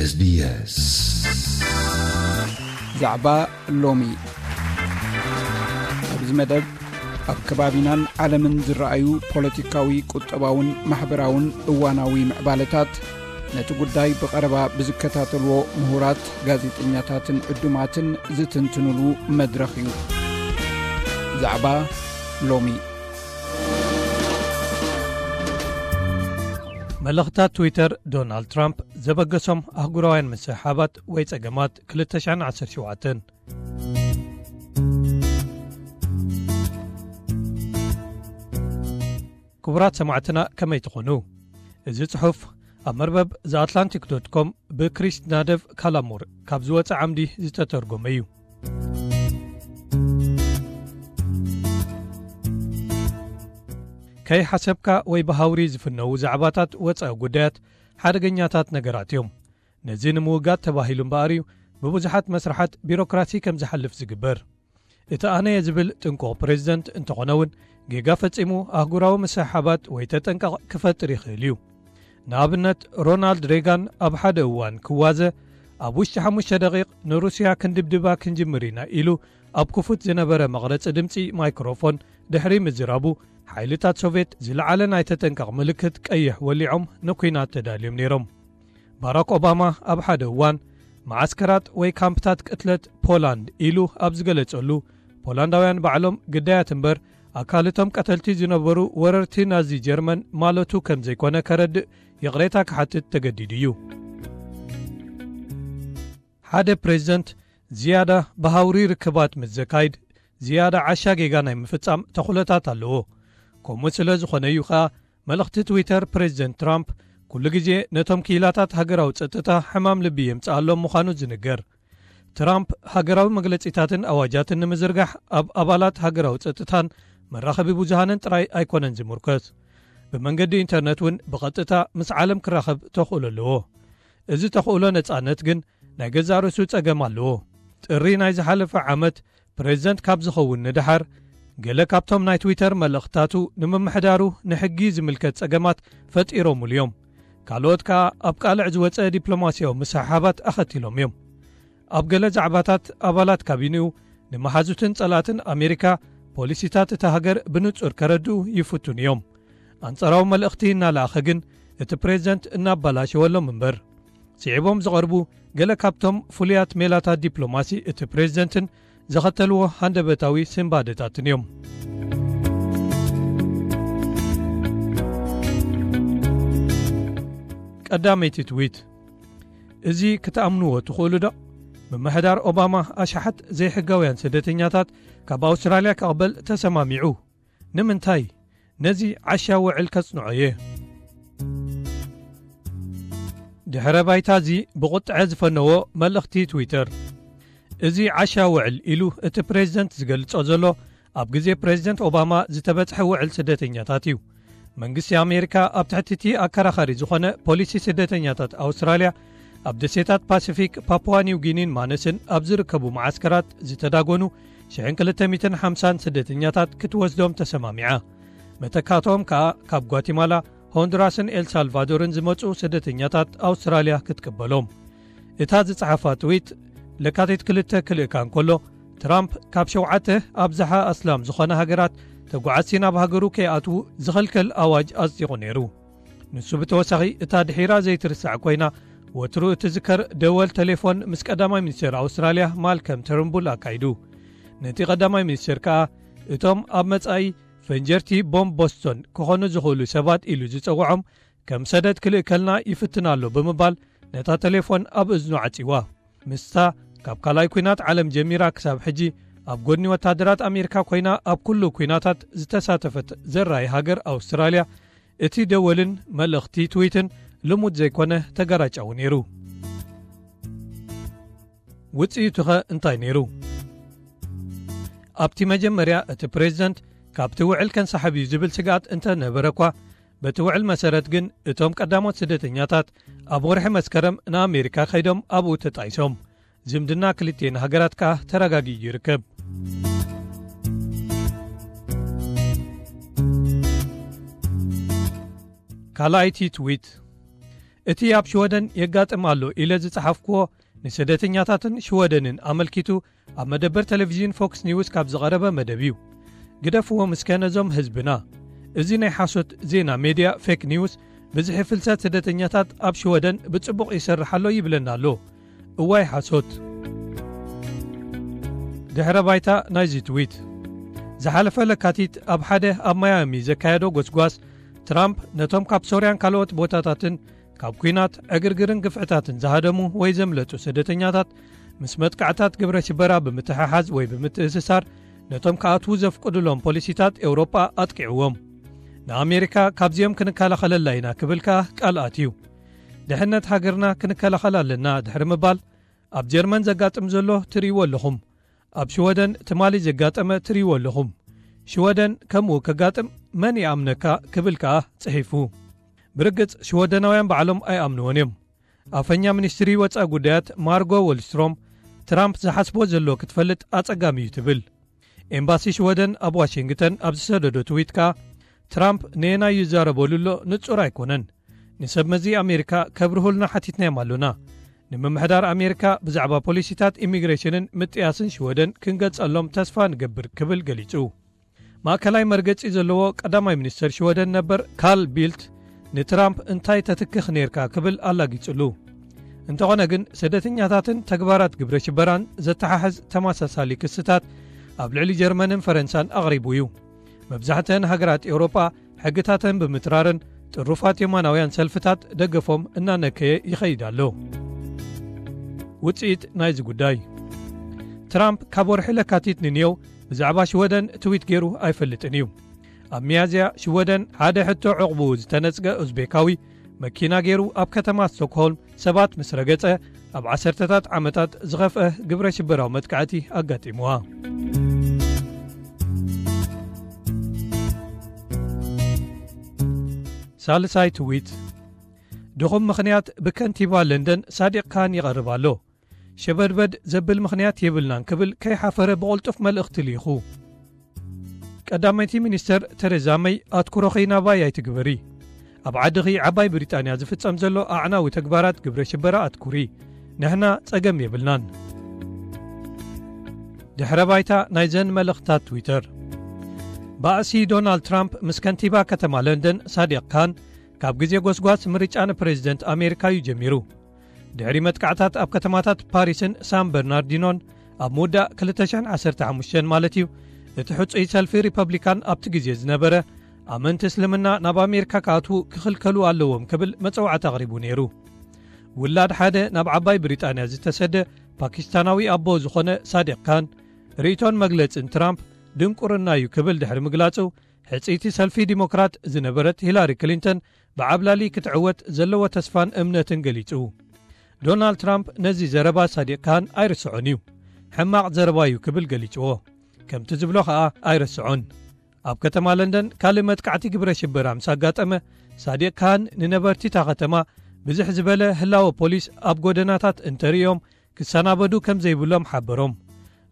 SBS ዛዕባ ሎሚ። ኣብዚ መደብ ኣብ ከባቢናን ዓለምን ዝረኣዩ ፖለቲካዊ፣ ቁጠባውን ማሕበራውን እዋናዊ ምዕባለታት፣ ነቲ ጉዳይ ብቐረባ ብዝከታተልዎ ምሁራት፣ ጋዜጠኛታትን ዕዱማትን ዝትንትኑሉ መድረኽ እዩ። ዛዕባ ሎሚ። መልእኽታት ትዊተር ዶናልድ ትራምፕ ዘበገሶም ኣህጉራውያን ምስሕሓባት ወይ ጸገማት ክልተ ሽሕን ዓሰርተ ሸውዓተን። ክቡራት ሰማዕትና፣ ከመይ ትኾኑ? እዚ ጽሑፍ ኣብ መርበብ The Atlantic dot com ብክሪስ ናደቭ ካላሙር ካብ ዝወጸ ዓምዲ ዝተተርጎመ እዩ። ከይሓሰብካ ወይ ብሃውሪ ዝፍነዉ ዛዕባታት ወጻኢ ጉዳያት ሓደገኛታት ነገራት እዮም። ነዚ ንምውጋድ ተባሂሉ እምበኣር እዩ ብብዙሓት መስርሓት ቢሮክራሲ ከም ዝሓልፍ ዝግበር። እቲ ኣነየ ዝብል ጥንቁቕ ፕሬዚደንት እንተኾነ እውን፣ ጌጋ ፈጺሙ ኣህጉራዊ ምስሕሓባት ወይ ተጠንቀቕ ክፈጥር ይኽእል እዩ። ንኣብነት፣ ሮናልድ ሬጋን ኣብ ሓደ እዋን ክዋዘ፣ ኣብ ውሽጢ ሓሙሽተ ደቂቕ ንሩስያ ክንድብድባ ክንጅምር ኢና ኢሉ ኣብ ክፉት ዝነበረ መቕረጺ ድምጺ ማይክሮፎን ድሕሪ ምዝራቡ፣ ሓይልታት ሶቭየት ዝለዓለ ናይ ተጠንቀቕ ምልክት ቀይሕ ወሊዖም ንኲናት ተዳልዮም ነይሮም። ባራክ ኦባማ ኣብ ሓደ እዋን፣ መዓስከራት ወይ ካምፕታት ቅትለት ፖላንድ ኢሉ ኣብ ዝገለጸሉ፣ ፖላንዳውያን ባዕሎም ግዳያት እምበር፣ ኣካል እቶም ቀተልቲ ዝነበሩ ወረርቲ ናዚ ጀርመን ማለቱ ከም ዘይኮነ ከረድእ ይቕሬታ ክሓትት ተገዲዱ እዩ። ሓደ ፕሬዚደንት ዝያዳ ብሃውሪ ርክባት ምስ ዘካይድ፣ ዝያዳ ዓሻ ጌጋ ናይ ምፍጻም ተኽእሎታት ኣለዎ። ከምኡ ስለ ዝኾነ እዩ ኸኣ፣ መልእኽቲ ትዊተር ፕሬዚደንት ትራምፕ ኩሉ ግዜ ነቶም ክኢላታት ሃገራዊ ጸጥታ ሕማም ልቢ የምጽኣሎም ምዃኑ ዝንገር። ትራምፕ ሃገራዊ መግለጺታትን ኣዋጃትን ንምዝርጋሕ ኣብ ኣባላት ሃገራዊ ጸጥታን መራኸቢ ብዙሃንን ጥራይ ኣይኮነን ዝምርኮስ። ብመንገዲ ኢንተርነት እውን ብቐጥታ ምስ ዓለም ክራኸብ ተኽእሎ ኣለዎ። እዚ ተኽእሎ ነጻነት ግን ናይ ገዛእ ርእሱ ጸገም ኣለዎ። ጥሪ ናይ ዝሓለፈ ዓመት ፕሬዚደንት ካብ ዝኸውን ንደሓር፣ ገለ ካብቶም ናይ ትዊተር መልእኽታቱ ንምምሕዳሩ ንሕጊ ዝምልከት ጸገማት ፈጢሮምሉ እዮም። ካልኦት ከኣ ኣብ ቃልዕ ዝወጸ ዲፕሎማስያዊ ምስሕሓባት ኣኸቲሎም እዮም። ኣብ ገለ ዛዕባታት ኣባላት ካቢኔኡ ንመሓዙትን ጸላእትን ኣሜሪካ ፖሊሲታት እታ ሃገር ብንጹር ከረድኡ ይፍትኑ እዮም። ኣንጻራዊ መልእኽቲ እናለኣኸ ግን እቲ ፕሬዚደንት እናባላሸወሎም እምበር። ስዒቦም ዝቐርቡ ገለ ካብቶም ፍሉያት ሜላታት ዲፕሎማሲ እቲ ፕሬዚደንትን ዘኸተልዎ ሃንደበታዊ ስንባደታትን እዮም። ቀዳመይቲ ትዊት። እዚ ክትኣምንዎ ትኽእሉ ዶ? ምምሕዳር ኦባማ ኣሽሓት ዘይሕጋውያን ስደተኛታት ካብ ኣውስትራልያ ክቕበል ተሰማሚዑ። ንምንታይ? ነዚ ዓሻ ውዕል ከጽንዖ እየ። ድሕረ ባይታ እዚ ብቑጥዐ ዝፈነዎ መልእኽቲ ትዊተር። እዚ ዓሻ ውዕል ኢሉ እቲ ፕሬዚደንት ዝገልጾ ዘሎ፣ ኣብ ግዜ ፕሬዚደንት ኦባማ ዝተበጽሐ ውዕል ስደተኛታት እዩ። መንግስቲ ኣሜሪካ ኣብ ትሕቲ እቲ ኣከራኻሪ ዝኾነ ፖሊሲ ስደተኛታት ኣውስትራልያ፣ ኣብ ደሴታት ፓሲፊክ ፓፑዋ ኒው ጊኒን ማነስን ኣብ ዝርከቡ መዓስከራት ዝተዳጎኑ ሽሕን ክልተ ሚእትን ሓምሳን ስደተኛታት ክትወስዶም ተሰማሚዓ። መተካእታኦም ከኣ ካብ ጓቲማላ፣ ሆንዱራስን ኤልሳልቫዶርን ዝመጹ ስደተኛታት ኣውስትራልያ ክትቅበሎም። እታ ዝጸሓፋ ትዊት ለካቲት ክልተ ክልእካ እንከሎ፣ ትራምፕ ካብ ሸውዓተ ኣብዝሓ ኣስላም ዝኾና ሃገራት ተጓዓዝቲ ናብ ሃገሩ ከይኣትዉ ዝኸልከል ኣዋጅ ኣጽዲቑ ነይሩ። ንሱ ብተወሳኺ እታ ድሒራ ዘይትርሳዕ ኮይና፣ ወትሩ እትዝከር ደወል ቴሌፎን ምስ ቀዳማይ ሚኒስተር ኣውስትራልያ ማልከም ተርንቡል ኣካይዱ። ነቲ ቀዳማይ ሚኒስተር ከኣ፣ እቶም ኣብ መጻኢ ፈንጀርቲ ቦምብ ቦስቶን ክኾኑ ዝኽእሉ ሰባት ኢሉ ዝጸውዖም ከም ሰደድ ክልእከልና ይፍትን ኣሎ ብምባል፣ ነታ ቴሌፎን ኣብ እዝኑ ዓጺዋ። ምስታ ካብ ካልኣይ ኲናት ዓለም ጀሚራ ክሳብ ሕጂ ኣብ ጎድኒ ወታደራት ኣሜሪካ ኮይና ኣብ ኩሉ ኲናታት ዝተሳተፈት ዘራይ ሃገር ኣውስትራልያ፣ እቲ ደወልን መልእኽቲ ትዊትን ልሙድ ዘይኮነ ተገራጫዊ ነይሩ። ውጽኢቱኸ እንታይ ነይሩ? ኣብቲ መጀመርያ እቲ ፕሬዚደንት ካብቲ ውዕል ከንሳሕብ እዩ ዝብል ስግኣት እንተነበረ እኳ፣ በቲ ውዕል መሰረት ግን እቶም ቀዳሞት ስደተኛታት ኣብ ወርሒ መስከረም ንኣሜሪካ ከይዶም ኣብኡ ተጣይሶም። ዝምድና ክልቲኤን ሃገራት ከኣ ተረጋጊኡ ይርከብ። ካልኣይቲ ትዊት። እቲ ኣብ ሽወደን የጋጥም ኣሎ ኢለ ዝጸሓፍክዎ፣ ንስደተኛታትን ሽወደንን ኣመልኪቱ ኣብ መደበር ቴሌቪዥን ፎክስ ኒውስ ካብ ዝቐረበ መደብ እዩ። ግደፍዎም እስከ ነዞም ህዝብና። እዚ ናይ ሓሶት ዜና ሜድያ፣ ፌክ ኒውስ፣ ብዝሒ ፍልሰት ስደተኛታት ኣብ ሽወደን ብጽቡቕ ይሰርሕ ኣሎ ይብለና ኣሎ። እዋይ ሓሶት። ድሕረ ባይታ ናይዚ ትዊት። ዝሓለፈ ለካቲት ኣብ ሓደ ኣብ ማያሚ ዘካየዶ ጎስጓስ፣ ትራምፕ ነቶም ካብ ሶርያን ካልኦት ቦታታትን ካብ ኲናት፣ ዕግርግርን ግፍዕታትን ዝሃደሙ ወይ ዘምለጡ ስደተኛታት ምስ መጥቃዕታት ግብረ ሽበራ ብምትሕሓዝ ወይ ብምትእስሳር፣ ነቶም ክኣትዉ ዘፍቅዱሎም ፖሊሲታት ኤውሮጳ ኣጥቂዕዎም። ንኣሜሪካ ካብዚኦም ክንከላኸለላ ኢና ክብል ከኣ ቃል ኣትዩ። ድሕነት ሃገርና ክንከላኸል ኣለና ድሕሪ ምባል፣ ኣብ ጀርመን ዘጋጥም ዘሎ ትርእይዎ ኣለኹም፣ ኣብ ሽወደን ትማሊ ዘጋጠመ ትርእይዎ ኣለኹም። ሽወደን ከምኡ ከጋጥም መን ይኣምነካ ክብል ከኣ ጽሒፉ። ብርግጽ ሽወደናውያን ባዕሎም ኣይኣምንዎን እዮም። ኣፈኛ ሚኒስትሪ ወጻኢ ጉዳያት ማርጎ ወልስትሮም፣ ትራምፕ ዝሓስቦ ዘሎ ክትፈልጥ ኣጸጋሚ እዩ ትብል። ኤምባሲ ሽወደን ኣብ ዋሽንግተን ኣብ ዝሰደዶ ትዊት ከኣ፣ ትራምፕ ነየናይ ይዛረበሉ ኣሎ ንጹር ኣይኮነን። ንሰብ መዚ ኣሜሪካ ከብርሁልና ሓቲትናዮም ኣሎና። ንምምሕዳር ኣሜሪካ ብዛዕባ ፖሊሲታት ኢሚግሬሽንን ምጥያስን ሽወደን ክንገልጸሎም ተስፋ ንገብር ክብል ገሊጹ። ማእከላይ መርገጺ ዘለዎ ቀዳማይ ሚኒስተር ሽወደን ነበር ካል ቢልት ንትራምፕ እንታይ ተትክኽ ኔርካ ክብል ኣላጊጹሉ። እንተኾነ ግን ስደተኛታትን ተግባራት ግብረ ሽበራን ዘተሓሕዝ ተመሳሳሊ ክስታት ኣብ ልዕሊ ጀርመንን ፈረንሳን ኣቕሪቡ እዩ። መብዛሕትአን ሃገራት ኤውሮጳ ሕግታተን ብምትራርን ጥሩፋት የማናውያን ሰልፍታት ደገፎም እናነከየ ይኸይድ ኣሎ። ውጽኢት ናይዚ ጉዳይ። ትራምፕ ካብ ወርሒ ለካቲት ንንየው ብዛዕባ ሽወደን ትዊት ገይሩ ኣይፈልጥን እዩ። ኣብ ሚያዝያ ሽወደን ሓደ ሕቶ ዕቕቡ ዝተነጽገ ኡዝቤካዊ መኪና ገይሩ ኣብ ከተማ ስቶክሆልም ሰባት ምስ ረገጸ ኣብ ዓሰርተታት ዓመታት ዝኸፍአ ግብረ ሽበራዊ መጥቃዕቲ ኣጋጢምዋ። ሳልሳይ ትዊት። ድኹም ምኽንያት ብከንቲባ ለንደን ሳዲቕ ካን ይቐርብ ኣሎ። ሸበድበድ ዘብል ምኽንያት የብልናን ክብል ከይሓፈረ ብቕልጡፍ መልእኽቲ ልኢኹ። ቀዳመይቲ ሚኒስተር ተሬዛ መይ ኣትኩሮኺ ናባይ ኣይትግበሪ። ኣብ ዓድኺ ዓባይ ብሪጣንያ ዝፍጸም ዘሎ ኣዕናዊ ተግባራት ግብረ ሽበራ ኣትኩሪ። ንሕና ጸገም የብልናን። ድሕረ ባይታ ናይዘን መልእኽታት ትዊተር። ባእሲ ዶናልድ ትራምፕ ምስ ከንቲባ ከተማ ለንደን ሳዲቕ ካን ካብ ግዜ ጎስጓስ ምርጫ ንፕሬዚደንት ኣሜሪካ እዩ ጀሚሩ። ድሕሪ መጥቃዕታት ኣብ ከተማታት ፓሪስን ሳን በርናርዲኖን ኣብ ምውዳእ ክልተ ሽሕን ዓሰርተ ሓሙሽተን ማለት እዩ፣ እቲ ሕጹይ ሰልፊ ሪፐብሊካን ኣብቲ ግዜ ዝነበረ፣ ኣመንቲ እስልምና ናብ ኣሜሪካ ክኣትዉ ክኽልከሉ ኣለዎም ክብል መጸዋዕታ ኣቕሪቡ ነይሩ። ውላድ ሓደ ናብ ዓባይ ብሪጣንያ ዝተሰደ ፓኪስታናዊ ኣቦ ዝኾነ ሳዲቕ ካን፣ ርእይቶን መግለጽን ትራምፕ ድንቁርና እዩ ክብል ድሕሪ ምግላጹ፣ ሕጽይቲ ሰልፊ ዲሞክራት ዝነበረት ሂላሪ ክሊንተን ብዓብላሊ ክትዕወት ዘለዎ ተስፋን እምነትን ገሊጹ። ዶናልድ ትራምፕ ነዚ ዘረባ ሳዲቕ ካን ኣይርስዖን እዩ። ሕማቕ ዘረባ እዩ ክብል ገሊጽዎ። ከምቲ ዝብሎ ኸኣ ኣይርስዖን። ኣብ ከተማ ለንደን ካልእ መጥቃዕቲ ግብረ ሽበራ ምስ ኣጋጠመ፣ ሳዲቕ ካን ንነበርቲ እታ ከተማ ብዝሕ ዝበለ ህላወ ፖሊስ ኣብ ጎደናታት እንተርእዮም ክሰናበዱ ከም ዘይብሎም ሓበሮም።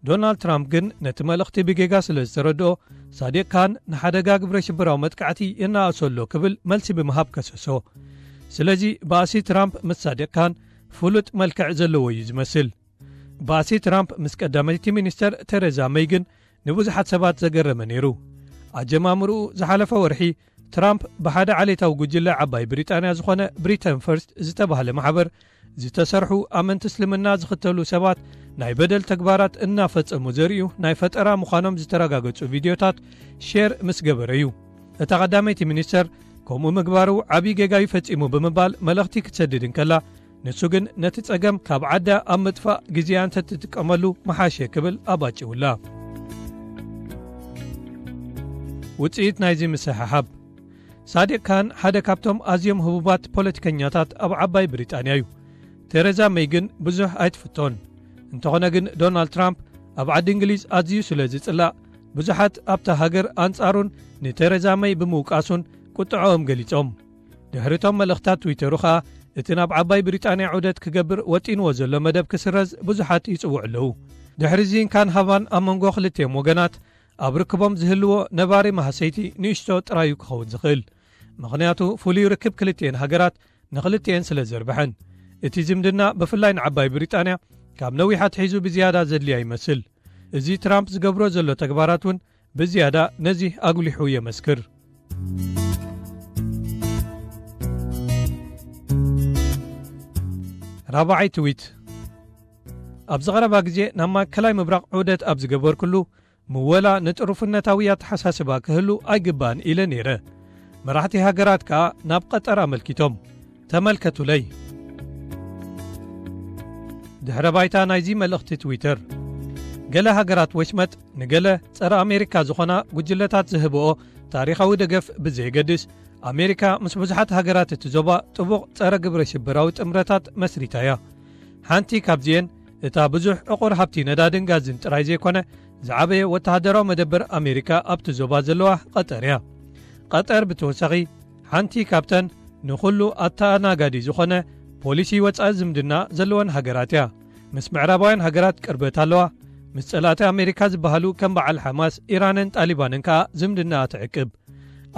ዶናልድ ትራምፕ ግን ነቲ መልእኽቲ ብጌጋ ስለ ዝተረድኦ፣ ሳዲቕ ካን ንሓደጋ ግብረ ሽበራዊ መጥቃዕቲ የነኣእሶ ኣሎ ክብል መልሲ ብምሃብ ከሰሶ። ስለዚ ባእሲ ትራምፕ ምስ ሳዲቕ ካን ፍሉጥ መልክዕ ዘለዎ እዩ ዝመስል። ባእሲ ትራምፕ ምስ ቀዳመይቲ ሚኒስተር ቴሬዛ መይ ግን ንብዙሓት ሰባት ዘገረመ ነይሩ። ኣጀማምርኡ ዝሓለፈ ወርሒ ትራምፕ ብሓደ ዓሌታዊ ጉጅለ ዓባይ ብሪጣንያ ዝኾነ ብሪተን ፈርስት ዝተባህለ ማሕበር ዝተሰርሑ ኣመንቲ እስልምና ዝኽተሉ ሰባት ናይ በደል ተግባራት እናፈጸሙ ዘርእዩ ናይ ፈጠራ ምዃኖም ዝተረጋገጹ ቪድዮታት ሼር ምስ ገበረ እዩ። እታ ቀዳመይቲ ሚኒስተር ከምኡ ምግባሩ ዓብዪ ጌጋ እዩ ፈጺሙ ብምባል መልእኽቲ ክትሰድድ እንከላ፣ ንሱ ግን ነቲ ጸገም ካብ ዓዳ ኣብ ምጥፋእ ግዜኣ እንተትጥቀመሉ ምሓሸ ክብል ኣባጭውላ። ውጽኢት ናይዚ ምስሕሓብ። ሳዲቅ ካን ሓደ ካብቶም ኣዝዮም ህቡባት ፖለቲከኛታት ኣብ ዓባይ ብሪጣንያ እዩ። ቴሬዛ መይ ግን ብዙሕ ኣይትፍቶን። እንተኾነ ግን ዶናልድ ትራምፕ ኣብ ዓዲ እንግሊዝ ኣዝዩ ስለ ዝጽላእ፣ ብዙሓት ኣብታ ሃገር ኣንጻሩን ንቴሬዛ መይ ብምውቃሱን ቁጥዐኦም ገሊጾም። ድሕሪቶም መልእኽታት ትዊተሩ ኸኣ፣ እቲ ናብ ዓባይ ብሪጣንያ ዑደት ክገብር ወጢንዎ ዘሎ መደብ ክስረዝ ብዙሓት ይጽውዑ ኣለዉ። ድሕሪዚ እንካን ሃባን ኣብ መንጎ ክልቲኦም ወገናት ኣብ ርክቦም ዝህልዎ ነባሪ ማህሰይቲ ንእሽቶ ጥራዩ ክኸውን ዝኽእል። ምኽንያቱ ፍሉይ ርክብ ክልቲኤን ሃገራት ንኽልቲኤን ስለ ዘርብሐን። እቲ ዝምድና ብፍላይ ንዓባይ ብሪጣንያ ካብ ነዊሕ ኣትሒዙ ብዝያዳ ዘድልያ ይመስል። እዚ ትራምፕ ዝገብሮ ዘሎ ተግባራት እውን ብዝያዳ ነዚ ኣጉሊሑ የመስክር። ራብዓይ ትዊት። ኣብዚ ቀረባ ግዜ ናብ ማእከላይ ምብራቕ ዑደት ኣብ ዝገበርኩሉ፣ ምወላ ንጥሩፍነታዊ ኣተሓሳስባ ክህሉ ኣይግባእን ኢለ ነይረ። መራሕቲ ሃገራት ከኣ ናብ ቀጠር ኣመልኪቶም። ተመልከቱለይ። ድሕረ ባይታ ናይዚ መልእኽቲ ትዊተር። ገለ ሃገራት ወሽመጥ ንገለ ጸረ ኣሜሪካ ዝኾና ጉጅለታት ዝህብኦ ታሪኻዊ ደገፍ ብዘየገድስ፣ ኣሜሪካ ምስ ብዙሓት ሃገራት እቲ ዞባ ጥቡቕ ጸረ ግብረ ሽበራዊ ጥምረታት መስሪታ እያ። ሓንቲ ካብዚኤን እታ ብዙሕ ዕቑር ሃብቲ ነዳድን ጋዝን ጥራይ ዘይኮነ፣ ዝዓበየ ወተሃደራዊ መደበር ኣሜሪካ ኣብቲ ዞባ ዘለዋ ቀጠር እያ። ቀጠር ብተወሳኺ ሓንቲ ካብተን ንኹሉ ኣተኣናጋዲ ዝኾነ ፖሊሲ ወጻኢ ዝምድና ዘለወን ሃገራት እያ። ምስ ምዕራባውያን ሃገራት ቅርበት ኣለዋ። ምስ ጸላእቲ ኣሜሪካ ዝበሃሉ ከም በዓል ሓማስ፣ ኢራንን ጣሊባንን ከኣ ዝምድናኣ ትዕቅብ።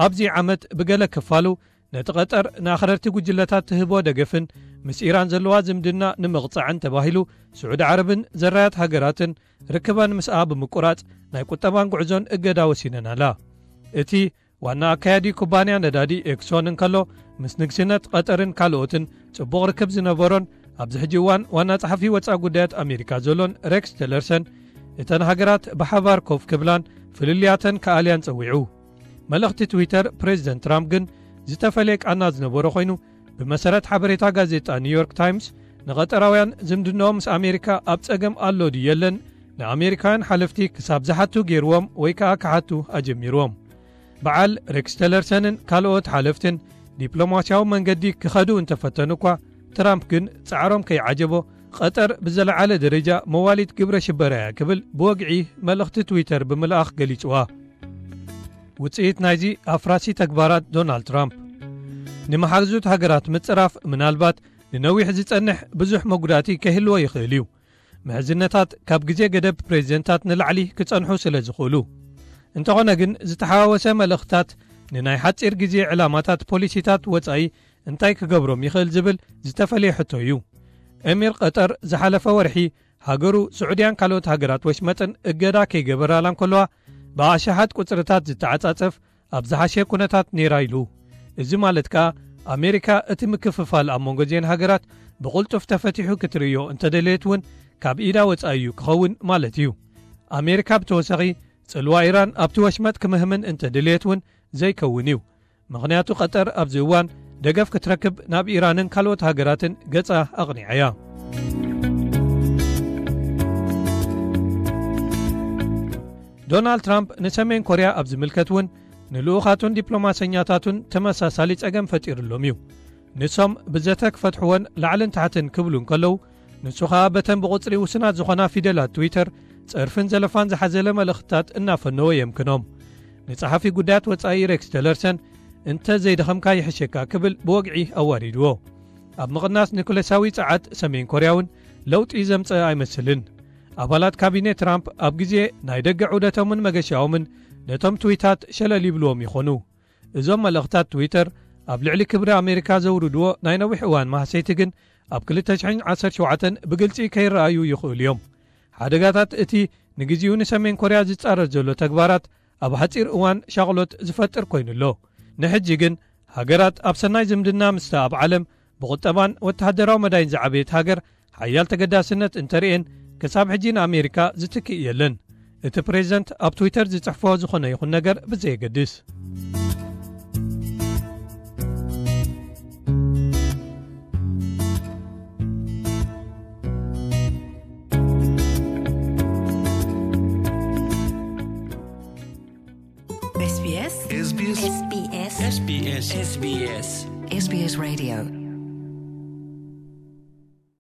ኣብዚ ዓመት ብገለ ክፋሉ ነቲ ቀጠር ንኣኽረርቲ ጉጅለታት ትህቦ ደገፍን ምስ ኢራን ዘለዋ ዝምድና ንምቕጻዕን ተባሂሉ ስዑዲ ዓረብን ዘራያት ሃገራትን ርክበን ምስኣ ብምቁራጽ ናይ ቁጠባን ጉዕዞን እገዳ ወሲነን ኣላ። እቲ ዋና ኣካያዲ ኩባንያ ነዳዲ ኤክሶን እንከሎ ምስ ንግስነት ቀጠርን ካልኦትን ጽቡቕ ርክብ ዝነበሮን ኣብዚ ሕጂ እዋን ዋና ጸሓፊ ወጻኢ ጉዳያት ኣሜሪካ ዘሎን ሬክስ ቲለርሰን እተን ሃገራት ብሓባር ኮፍ ክብላን ፍልልያተን ክኣልያን ጸዊዑ። መልእኽቲ ትዊተር ፕሬዚደንት ትራምፕ ግን ዝተፈለየ ቃና ዝነበሮ ኮይኑ፣ ብመሰረት ሓበሬታ ጋዜጣ ኒውዮርክ ታይምስ፣ ንቐጠራውያን ዝምድናኦም ምስ ኣሜሪካ ኣብ ጸገም ኣሎ ድዩ የለን፣ ንኣሜሪካውያን ሓለፍቲ ክሳብ ዝሓቱ ገይርዎም ወይ ከኣ ክሓቱ ኣጀሚርዎም። በዓል ሬክስ ቲለርሰንን ካልኦት ሓለፍትን ዲፕሎማስያዊ መንገዲ ክኸዱ እንተፈተኑ እኳ፣ ትራምፕ ግን ጻዕሮም ከይዓጀቦ፣ ቀጠር ብዝለዓለ ደረጃ መዋሊት ግብረ ሽበራ እያ ክብል ብወግዒ መልእኽቲ ትዊተር ብምልኣኽ ገሊጽዋ። ውጽኢት ናይዚ ኣፍራሲ ተግባራት ዶናልድ ትራምፕ፣ ንመሓዙት ሃገራት ምጽራፍ ምናልባት ንነዊሕ ዝጸንሕ ብዙሕ መጉዳእቲ ከይህልዎ ይኽእል እዩ። ምሕዝነታት ካብ ግዜ ገደብ ፕሬዚደንታት ንላዕሊ ክጸንሑ ስለ ዝኽእሉ። እንተኾነ ግን፣ ዝተሓዋወሰ መልእኽታት ንናይ ሓጺር ግዜ ዕላማታት ፖሊሲታት ወጻኢ እንታይ ክገብሮም ይኽእል ዝብል ዝተፈለየ ሕቶ እዩ። ኤሚር ቀጠር ዝሓለፈ ወርሒ ሃገሩ ስዑድያን ካልኦት ሃገራት ወሽመጥን እገዳ ከይገበራላ እንከለዋ፣ ብኣሽሓት ቁጽርታት ዝተዓጻጸፍ ኣብ ዝሓሸ ኩነታት ነይራ ኢሉ። እዚ ማለት ከኣ፣ ኣሜሪካ እቲ ምክፍፋል ኣብ መንጎ እዚኤን ሃገራት ብቕልጡፍ ተፈቲሑ ክትርእዮ እንተደለየት እውን፣ ካብ ኢዳ ወጻኢ እዩ ክኸውን ማለት እዩ። ኣሜሪካ ብተወሳኺ፣ ጽልዋ ኢራን ኣብቲ ወሽመጥ ክምህምን እንተደለየት እውን ዘይከውን እዩ። ምኽንያቱ፣ ቀጠር ኣብዚ እዋን ደገፍ ክትረክብ ናብ ኢራንን ካልኦት ሃገራትን ገጻ ኣቕኒዓ እያ። ዶናልድ ትራምፕ ንሰሜን ኮርያ ኣብ ዝምልከት እውን ንልኡኻቱን ዲፕሎማሰኛታቱን ተመሳሳሊ ጸገም ፈጢሩሎም እዩ። ንሶም ብዘተ ክፈትሕዎን ላዕልን ታሕትን ክብሉ እንከለዉ፣ ንሱ ኸኣ በተን ብቑጽሪ ውሱናት ዝኾና ፊደላት ትዊተር ጸርፍን ዘለፋን ዝሓዘለ መልእኽትታት እናፈነወ የምክኖም። ንጸሓፊ ጉዳያት ወጻኢ ሬክስ ቲለርሰን፣ "እንተ ዘይደኸምካ ይሕሸካ" ክብል ብወግዒ ኣዋሪድዎ። ኣብ ምቕናስ ኒኩለሳዊ ጸዓት ሰሜን ኮርያ እውን ለውጢ ዘምጸአ ኣይመስልን። ኣባላት ካቢኔ ትራምፕ ኣብ ግዜ ናይ ደገ ዑደቶምን መገሻኦምን ነቶም ትዊታት ሸለል ይብልዎም ይኾኑ። እዞም መልእኽታት ትዊተር ኣብ ልዕሊ ክብሪ ኣሜሪካ ዘውርድዎ ናይ ነዊሕ እዋን ማህሰይቲ ግን ኣብ ክልተ ሽሕን ዓሰርተ ሸውዓተን ብግልጺ ከይረኣዩ ይኽእሉ እዮም። ሓደጋታት እቲ ንግዜኡ ንሰሜን ኮርያ ዝጻረር ዘሎ ተግባራት ኣብ ሓጺር እዋን ሻቕሎት ዝፈጥር ኮይኑ ኣሎ። ንሕጂ ግን ሃገራት ኣብ ሰናይ ዝምድና ምስታ ኣብ ዓለም ብቁጠባን ወተሃደራዊ መዳይን ዝዓበየት ሃገር ሓያል ተገዳስነት እንተርእየን፣ ክሳብ ሕጂ ንኣሜሪካ ዝትክእ የለን። እቲ ፕሬዚደንት ኣብ ትዊተር ዝጽሕፎ ዝኾነ ይኹን ነገር ብዘየገድስ። S B S. S B S. S B S. S B S. S B S. S B S Radio.